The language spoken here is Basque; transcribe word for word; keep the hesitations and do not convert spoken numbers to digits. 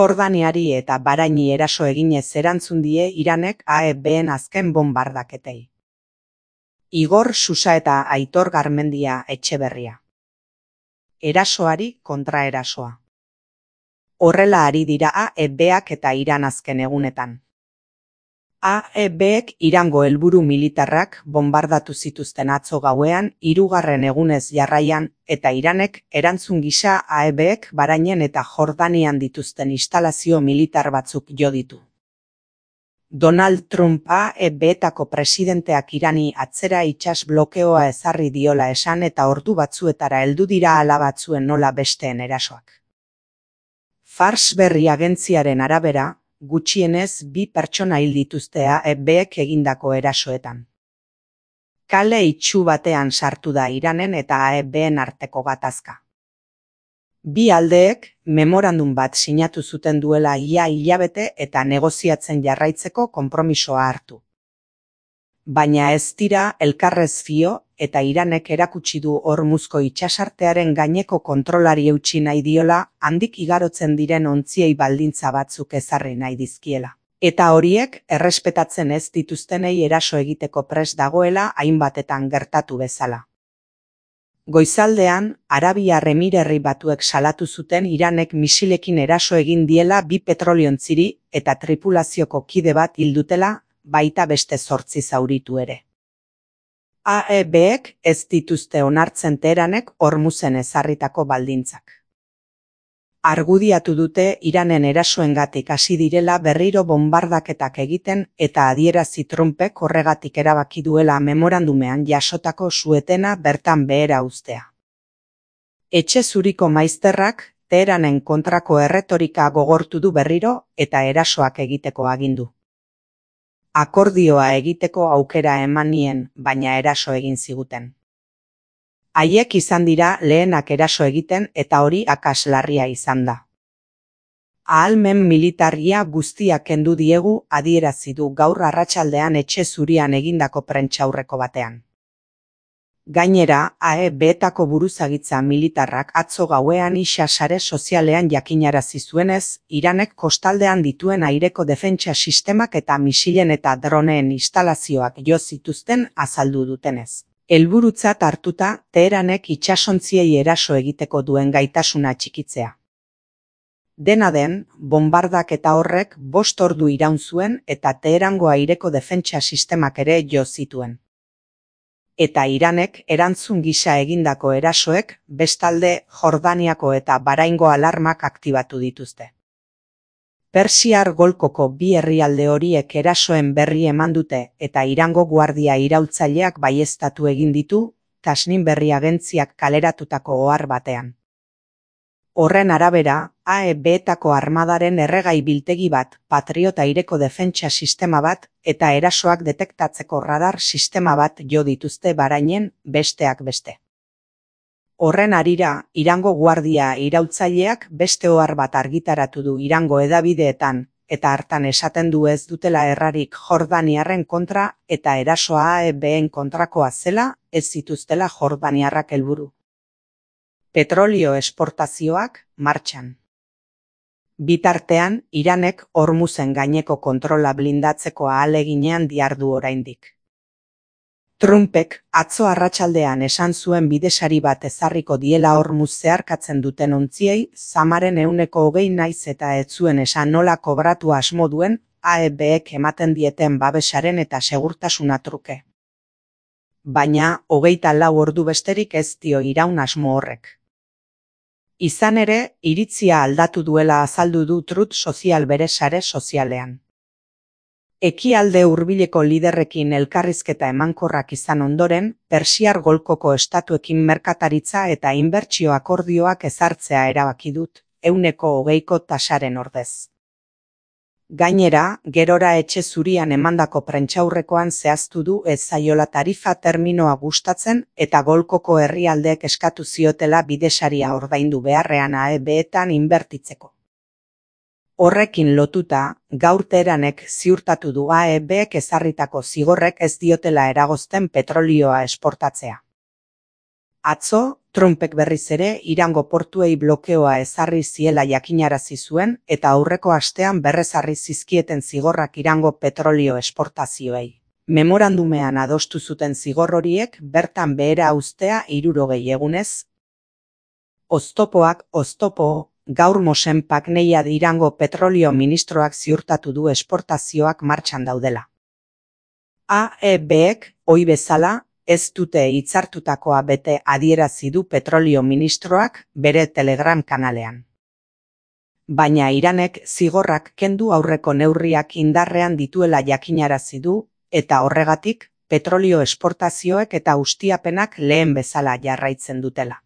Jordaniari eta Bahraini eraso eginez erantzun die Iranek A E B-en azken bombardaketei. Igor Susa eta Aitor Garmendia Etxeberria. Erasoari kontraerasoa. Horrela ari dira A E B-ak eta Iran azken egunetan. A E B-ek Irango helburu militarrak bombardatu zituzten atzo gauean, hirugarren egunez jarraian, eta Iranek erantzun gisa A E B-ek Bahrainen eta Jordanian dituzten instalazio militar batzuk jo ditu. Donald Trump A E B-etako presidenteak Irani atzera itsas blokeoa ezarri diola esan eta ordu batzuetara heldu dira ala batzuen nola besteen erasoak. Fars berri agentziaren arabera, gutxienez bi pertsona hil dituzte A E B-ek egindako erasoetan. Kale itsu batean sartu da Iranen eta A E B-en arteko gatazka. Bi aldeek memorandum bat sinatu zuten duela ia hilabete eta negoziatzen jarraitzeko konpromisoa hartu. Baina ez dira elkarrez fio eta Iranek erakutsi du Hormuzko itsasartearen gaineko kontrolari eutsi nahi diola handik igarotzen diren ontziei baldintza batzuk ezarri nahi dizkiela. Eta horiek errespetatzen ez dituztenei eraso egiteko prest dagoela hainbatetan gertatu bezala. Goizaldean, Arabiar Emirerri Batuek salatu zuten Iranek misilekin eraso egin diela bi petroliontziri eta tripulazioko kide bat hil dutela, baita beste zortzi zauritu ere. A E B-ek ez dituzte onartzen Teheranek Hormuzen ezarritako baldintzak. Argudiatu dute Iranen erasoengatik hasi direla berriro bombardaketak egiten eta adierazi Trumpek horregatik erabaki duela memorandumean jasotako suetena bertan behera uztea. Etxe zuriko maizterrak Teheranen kontrako erretorika gogortu du berriro eta erasoak egiteko agindu. Akordioa egiteko aukera eman nien, baina eraso egin ziguten. Haiek izan dira lehenak eraso egiten eta hori akats larria izan da. Ahalmen militarria guztiak kendu diegu adierazi du gaur arratsaldean Etxe Zurian egindako prentsaurreko batean. Gainera, A E B-etako buruzagitza militarrak atzo gauean isa sare sozialean jakinarazi zuenez, Iranek kostaldean dituen aireko defentsa sistemak eta misilen eta droneen instalazioak jo zituzten azaldu dutenez. Helburutzat hartuta, Teheranek itsasontziei eraso egiteko duen gaitasuna txikitzea. Dena den, bombardaketa horrek bost ordu iraun zuen eta Teherango aireko defentsa sistemak ere jo zituen. Eta Iranek erantzun gisa egindako erasoek bestalde Jordaniako eta Bahraingo alarmak aktibatu dituzte. Persiar golkoko bi herrialde horiek erasoen berri eman dute eta Irango guardia iraultzaileak baieztatu egin ditu, Tasnim berri agentziak kaleratutako ohar batean. Horren arabera, A E B-etako armadaren erregai biltegi bat, Patriot aireko defentsa sistema bat eta erasoak detektatzeko radar sistema bat jo dituzte Bahrainen, besteak beste. Horren harira, Irango guardia iraultzaileak beste ohar bat argitaratu du Irango hedabideetan, eta hartan esaten du ez dutela errarik Jordaniarren kontra eta erasoa A E B-en kontrakoa zela, ez zituztela Jordaniarrak helburu. Petrolio esportazioak martxan. Bitartean, Iranek Hormuzen gaineko kontrola blindatzeko ahaleginean dihardu oraindik. Trumpek atzo arratsaldean esan zuen bidesari bat ezarriko diela Hormuz zeharkatzen duten ontziei, zamaren ehuneko hogei naiz eta ez zuen esan nola kobratu asmo duen A E B-ek ematen dieten babesaren eta segurtasuna truke. Baina, hogeita lau ordu besterik ez dio iraun asmo horrek. Izan ere, iritzia aldatu duela azaldu du Truth Social bere sare sozialean. Ekialde hurbileko liderrekin elkarrizketa emankorrak izan ondoren, Persiar golkoko estatuekin merkataritza eta inbertsio akordioak ezartzea erabaki dut, ehuneko hogeiko tasaren ordez. Gainera, gerora Etxe Zurian emandako prentsaurrekoan zehaztu du ez zaiola tarifa terminoa gustatzen eta golkoko herrialdeek eskatu ziotela bidesaria ordaindu beharrean A E B-etan inbertitzeko. Horrekin lotuta, gaur Teheranek ziurtatu du A E B-ek ezarritako zigorrek ez diotela eragozten petrolioa esportatzea. Atzo, Trumpek berriz ere Irango portuei blokeoa ezarri ziela jakinarazi zuen eta aurreko astean berrezarri zizkieten zigorrak Irango petrolio esportazioei. Memorandumean adostu zuten zigor horiek bertan behera uztea hirurogei egunez. Oztopoak oztopo, gaur Mosenpak Neyad Irango petrolio ministroak ziurtatu du esportazioak martxan daudela. A E Bek, ohi bezala, ez dute hitzartutakoa bete adierazi du petrolio ministroak bere Telegram kanalean. Baina Iranek zigorrak kendu aurreko neurriak indarrean dituela jakinarazi du, eta horregatik, petrolio esportazioek eta ustiapenak lehen bezala jarraitzen dutela.